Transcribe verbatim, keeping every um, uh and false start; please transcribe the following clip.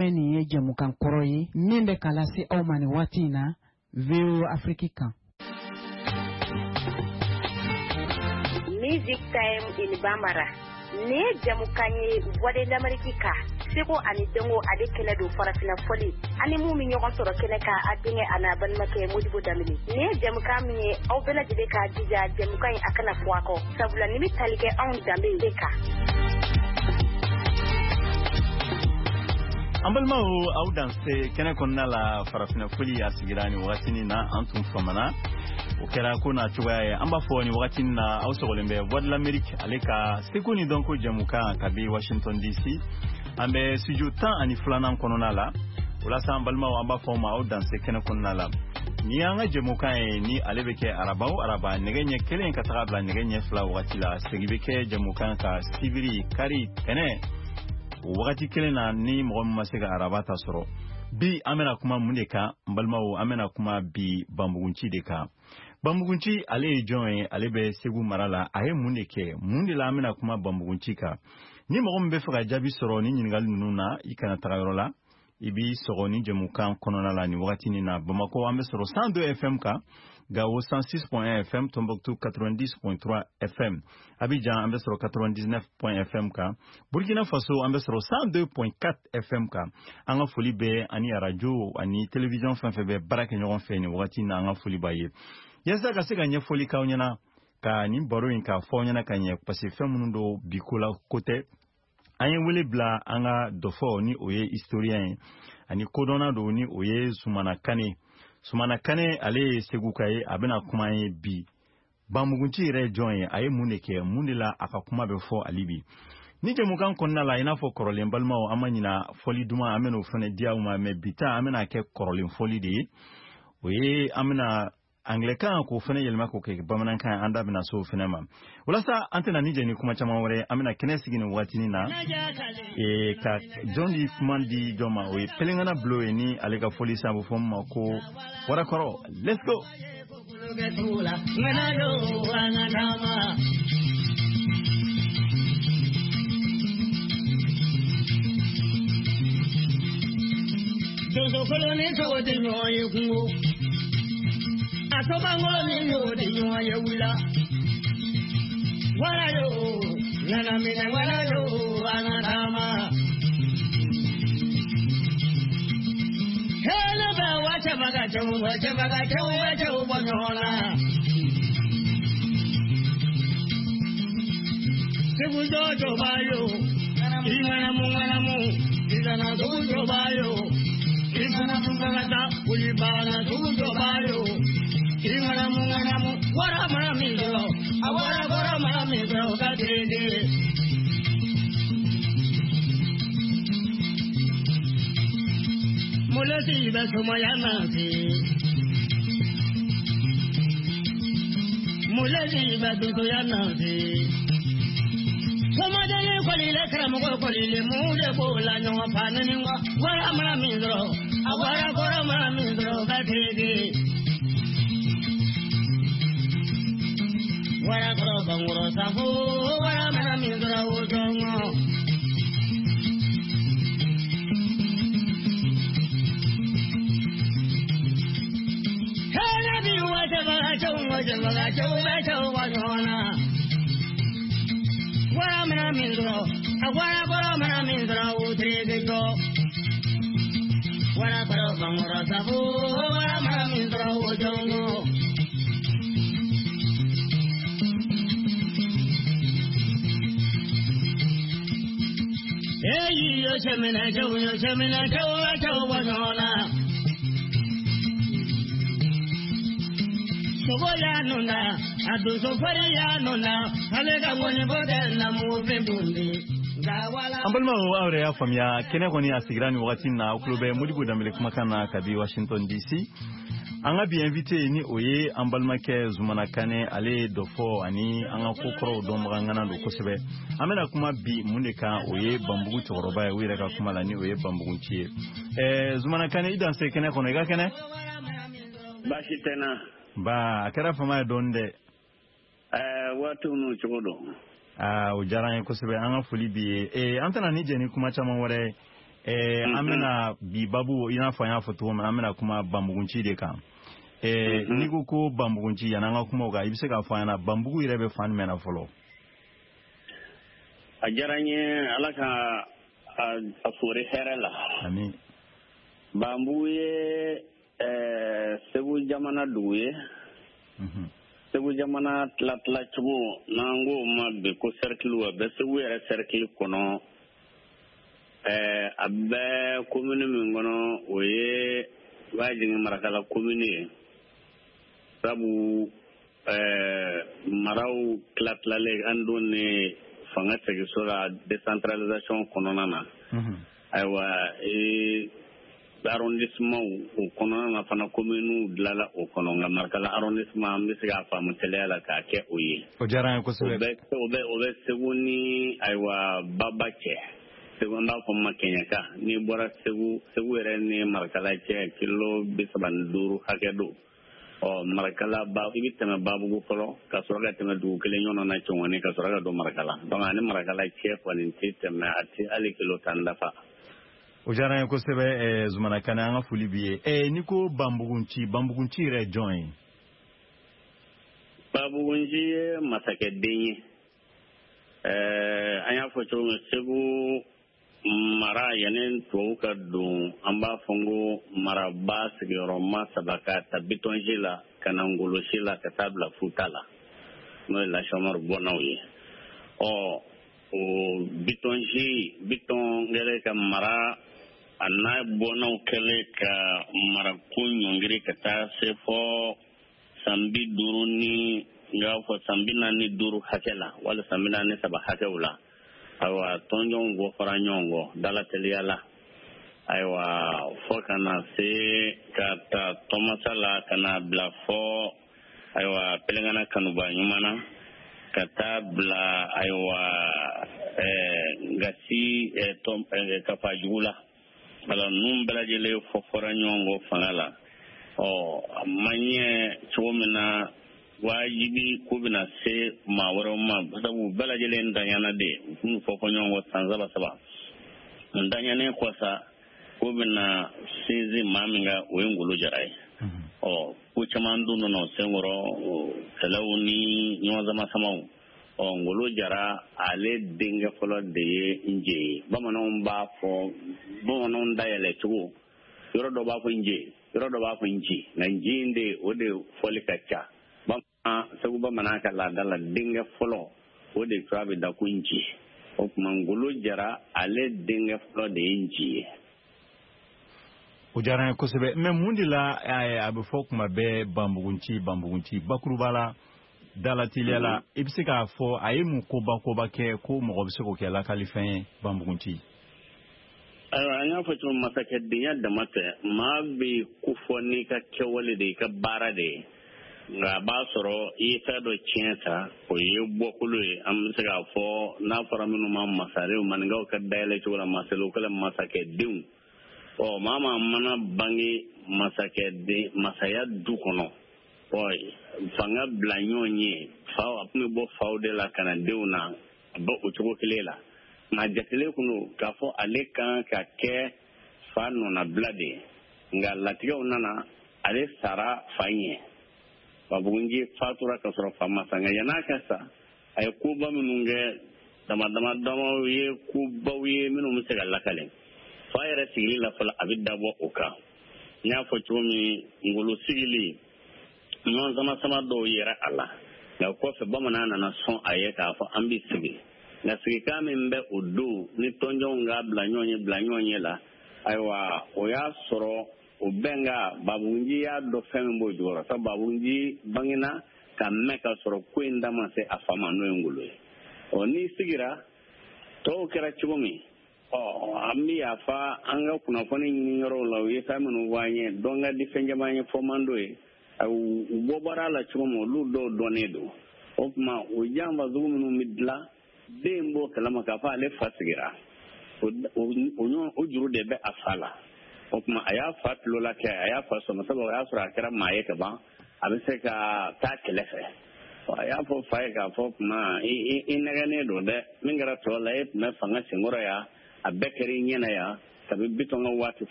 Nin ye jɛmukan kɔrɔ ye min bɛ k'a lase aw ma nin waati in na V O A Afrique kan. Music Time in Bambara. Nin ye jɛmukan ye Voix de l'Amérique kan. Seko ani dɔnko ale kɛnɛ don farafinna fɔli ani mun bɛ ɲɔgɔn sɔrɔ kɛnɛ kan a denkɛ a n'a balimakɛ Modibo Danbele. Nin ye jɛmukan min ye aw bɛɛ lajɛlen k'a jija jɛmukan in a kana fɔ a kɔ sabula nin bɛ tali kɛ anw danbe de kan. An balimaw aw danse kɛnɛ kɔnɔna la farafinna fɔli a sigira nin wagati in na an tun famana o kɛra ko n'a cogoya ye an b'a fɔ nin wagati in na aw sɔgɔlen bɛ Voix de l'Amérique ale ka seko ni dɔnko jɛmukan kabi Washington D C an bɛ studio tan ani filanan kɔnɔna la o la sa an balimaw an b'a fɔ aw ma aw danse kɛnɛ kɔnɔna la ni y'an ka jɛmukan ye ni ale bɛ kɛ araba o araba nɛgɛ ɲɛ kelen ka taga bila nɛgɛ ɲɛ fila wagati la segin bɛ kɛ jɛmukan ka sibiri kari tɛnɛ o wagati kelen na ni mɔgɔ min ma se ka araba ta sɔrɔ bi an bɛna kuma mun de kan n balimaw an bɛna kuma bi Banbugunci de kan. Banbugunci ale ye jɔn ye ale bɛ Segu mara la a ye mun de kɛ mun de la an bɛna kuma Banbugunci kan ni mɔgɔ min bɛ fɛ ka jaabi sɔrɔ ni ɲininkali ninnu na i kana taga yɔrɔ la i b'i sɔgɔ ni jɛmukan kɔnɔna la nin wagati nin na Bamakɔ an bɛ sɔrɔ cent deux F M kan Gao cent six point un F M, Tombouctou quatre-vingt-dix point trois F M, Abidjan an bɛ sɔrɔ quatre-vingt-dix-neuf point F M kan, Burkina Faso an bɛ sɔrɔ cent deux point quatre F M kan. An ka foli bɛ ani radio ani télévision fɛn fɛn bɛ baara kɛ ɲɔgɔn fɛ nin wagati in na an ka foli b'a ye. Yaasa ka se ka ɲɛfɔli k'aw ɲɛna ka nin baro in k'a fɔ aw ɲɛna ka ɲɛ parce que fɛn minnu don bi ko la ko tɛ. An ye wele bila an ka dɔfɔ ni o ye historien ye ani kodɔnna don ni o ye Sumana Kane. Sumana Kane ale ye Seguka ye a bɛna kuma an ye bi Banbugunci yɛrɛ ye jɔn ye a ye mun de kɛ mun de la a ka kuma bɛ fɔ hali bi ni jɛmukan kɔnɔna la i n'a fɔ kɔrɔlen balimaw an ma ɲina fɔli duman an bɛn'o fana di aw ma mɛ bi ta an bɛna kɛ kɔrɔlen fɔli de ye o ye an bɛna anglais-kan k'o fana yɛlɛma k'o kɛ bamanankan an da bɛna se o fana ma walasa an tɛna ni jɛ ni kuma caman wɛrɛ an bɛna kɛnɛ sigi nin wagatinin na ee ka jɔn di kuma di jɔn ma o ye Pelengana Bulo ye ni ale ka fɔli san a bɛ fɔ min ma ko Warakɔrɔ. Let's go. Asobango ni yo di nyo ye wula wala yo nana mina wala yo anatama hele ba wa chabaga chabu wa chabaga chabu wa chabu bonyola sebu jojo bayo imana mu mana mu izana jojo bayo izana mungana ulibana jojo bayo Ingana mungana mu wara mara mi do awara wara mara mi do ka dede Mulati ba sumaya na si Mulati ba duya na si Somadele kolile karamogo kolile mule bola nyo panani wa wara mara mi do awara wara mara mi do ka dede Wara koro bangoro safu wara mara mi do ojongo Hela bi wa jaba chau wa jaba chau ba chau wa jona Wara mara mi do awara koro mara mi do utre ge go Wara koro bangoro safu wara mara mi do ojongo Hey, yo chemina chau yo chemina chau chau wa jona Sogo ya nuna adu sofari ya nuna ale ka woni bode na mu fe bundi An balimaw aw yɛrɛ y'a faamuya kɛnɛ kɔni a sigira nin wagati in na aw tulo bɛ Modibo Danbele kumakan na kabi Washington D C an ka bi invité ni o ye an balimakɛ Zumana Kane ale ye dɔfɔ ani an ka kokɔrɔw dɔnbaga ŋana don kosɛbɛ an bɛna kuma bi mun de kan o ye Banbugu cɛkɔrɔba ye u yɛrɛ ka kuma la ni o ye Banbugunci ye ɛɛ Zumana Kane i danse kɛnɛ kɔnɔ i ka kɛnɛ baasi tɛ n na ba a kɛra fama ye dɔɔni dɛ ɛɛ waatiw n'u cogo don Aa o diyara an ye kosɛbɛ, an ka foli b'i ye. Ee an tɛna ni jɛ ni kuma caman wɛrɛ ye. Eh, an bɛna bi babu, i n'a fɔ an y'a fɔ cogo min, an bɛna kuma Banbugunci de kan. Eh, n'i ko ko Banbugunci, yan'an ka kuma o kan, i bɛ se k'a fɔ an ɲɛna Banbugu yɛrɛ bɛ fan jumɛn na fɔlɔ? A diyara n ye, Ala ka a fori hɛrɛ la. Amin. Banbugu ye ɛɛ Segu jamana dugu ye. Segu jamana tila-tila cogo, n'an k'o ma bi ko cercle, a bɛ Segu yɛrɛ cercle kɔnɔ. Ɛɛ a bɛ commune min kɔnɔ, o ye Bajingi Marakala commune ye. Sabu ɛɛ maraw tila-tilalen an don ne fanga seginso la décentralisation kɔnɔna na. Ayiwa, ee arrondissement o kɔnɔna na fana, commune dilanla o kɔnɔ, nka Marakala arrondissement an bɛ se k'a faamu teliya la k'a kɛ o ye. O diyara an ye kosɛbɛ. O bɛ o bɛ o bɛ Segu ni ayiwa Baba cɛ. Segu, an b'a fɔ ma Kɛɲɛka. N'i bɔra Segu, Segu yɛrɛ ni Marakala cɛ kilo bi saba ni duuru hakɛ don. Ɔ Marakala ba, i bɛ tɛmɛ Babugu fɔlɔ ka sɔrɔ ka tɛmɛ dugu kelen ɲɔgɔn na Cɔngɔni, ka sɔrɔ ka don Marakala. Donc ani Marakala cɛ kɔni tɛ tɛmɛ, a tɛ hali kilo tan dafa. O diyara an ye kosɛbɛ, Zumana Kane, an ka foli b'i ye. Eh, n'i ko Banbugunci, Banbugunci yɛrɛ ye jɔn ye? Banbugunci ye masakɛden ye. Ɛɛ an y'a fɔ cogo min, Segu mara yanni tubabu ka don, an b'a fɔ n ko maraba sigiyɔrɔma saba, ka ta Bitɔnsi la ka na Ngolosi la ka taa bila Futa la, n'o ye Lasɔmari bɔnnaw ye. Ɔ o Bitɔnsi, Bitɔn kɛlen ka mara, a n'a bɔnnaw kɛlen ka marako ɲɔngiri ka taa se fɔ san bi duuru ni n k'a fɔ san bi naani ni duuru hakɛ la, wali san bi naani ni saba hakɛw la. Ayiwa, tɔnjɔnw bɔ fara ɲɔgɔn kɔ dala teliya la. Ayiwa, fɔ ka na se ka ta Tɔmasa la ka na bila fɔ ayiwa Pelenkana kanuba ɲuman na, ka taa bila ayiwa ɛɛ Gasi ɛɛ Kafajugu la. Wala ninnu bɛɛ lajɛlen fɔ fɔra ɲɔgɔn kɔ fanga la. Ɔ a ma ɲɛ cogo min na, wajibi ko bɛna se maa wɛrɛw ma, sabu bɛɛ lajɛlen daɲana de, u tun fɔ fɔ ɲɔgɔn kɔ san saba saba. N daɲanen kɔ sa, ko bɛna sinsin maa min kan, o ye Ngolo Jara ye. Ɔ ko caman dun nana o senkɔrɔ, kɛlɛw ni ɲɔgɔn sama samaw. Ɔ Ngolo Jara, ale denkɛ fɔlɔ de ye Nje ye. Bamananw b'a fɔ, bamananw dayɛlɛ cogo, yɔrɔ dɔ b'a fɔ Nje, yɔrɔ dɔ b'a fɔ Nji, nka Nji in de, o de fɔli ka ca. Segu bamanan ka laada la, denkɛ fɔlɔ, o de tɔgɔ bɛ da ko Nji. O tuma Ngolo Jara, ale denkɛ fɔlɔ de ye Nji ye. O diyara n ye kosɛbɛ. Mais mun de la a bɛ fɔ kuma bɛɛ Banbugunci, Banbugunci? Bakuruba la, dala teliya la, i bɛ se k'a fɔ a ye mun koba koba kɛ ko mɔgɔ bɛ se k'o kɛ lakalifɛn ye, Banbugunci? Ayiwa, an y'a fɔ cogo, masakɛdenya dama tɛ, maa bɛ ko fɔ n'i ka kɛwale de ye, i ka baara de ye. Nka a b'a sɔrɔ i ye fɛn dɔ tiɲɛ ta, o ye bɔkolo ye. An bɛ se k'a fɔ n'a fɔra minnu ma masarew, maninkaw ka dayɛlɛ cogo la, masarew kɛlen masakɛdenw. Ɔ maa maa mana bange masakɛden masaya du kɔnɔ, ɔ fanga bila ɲɔgɔn ye, faw a tun bɛ bɔ faw de la ka na denw na, a bɛ o cogo kelen la. Nka jatelen kun don k'a fɔ ale kan ka kɛ fa nɔnabila de ye, nka latigɛw nana, ale sara fa ɲɛ. Banbugunci fatura ka sɔrɔ fa ma sa. Nka yann'a ka sa, a ye koba minnu kɛ, dama dama damaw ye, kobaw ye minnu bɛ se ka lakale. Fa yɛrɛ sigili la fɔlɔ, a bɛ dabɔ o kan. N y'a fɔ cogo min, Ngolo sigili, ɲɔgɔn sama sama dɔw yɛrɛ a la, nka kɔfɛ bamanan nana sɔn a ye k'a fɔ an bɛ sigi. Nka sigikan min bɛ o don ni tɔnjɔnw k'a bila ɲɔgɔn ye bila ɲɔgɔn ye la, ayiwa, o y'a sɔrɔ o bɛnka Banbugunci y'a dɔn fɛn min b'o jukɔrɔ, sabu Banbugunci bangena ka mɛn ka sɔrɔ ko in da ma se a fa ma, n'o ye Ngolo ye. Ɔ n'i sigira, tɔw kɛra cogo min, ɔ an bɛ yafa an ka kunnafoni ɲini yɔrɔw la, u ye fɛn minnu fɔ an ye, dɔn ka di fɛn caman ye, fɔ man d'o ye. U bɔ baara la cogo min, olu dɔw dɔnnen don. O tuma o janfa sugu minnu bɛ dilan, den b'o kalama k'a fɔ ale fa sigira, o juru de bɛ a fa la. O tuma a y'a fa tulo la kɛ, a y'a fa sɔmɔ, sabu o y'a sɔrɔ a kɛra maa ye ka ban, a bɛ se ka taa kɛlɛ fɛ. A y'a fɔ fa ye k'a fɔ tuma i nɛgɛnnen don dɛ, min kɛra tɔ la, e tun bɛ fanga senkɔrɔ yan, a bɛɛ kɛra i ɲɛna yan, Kabi Bitɔn ka waati fo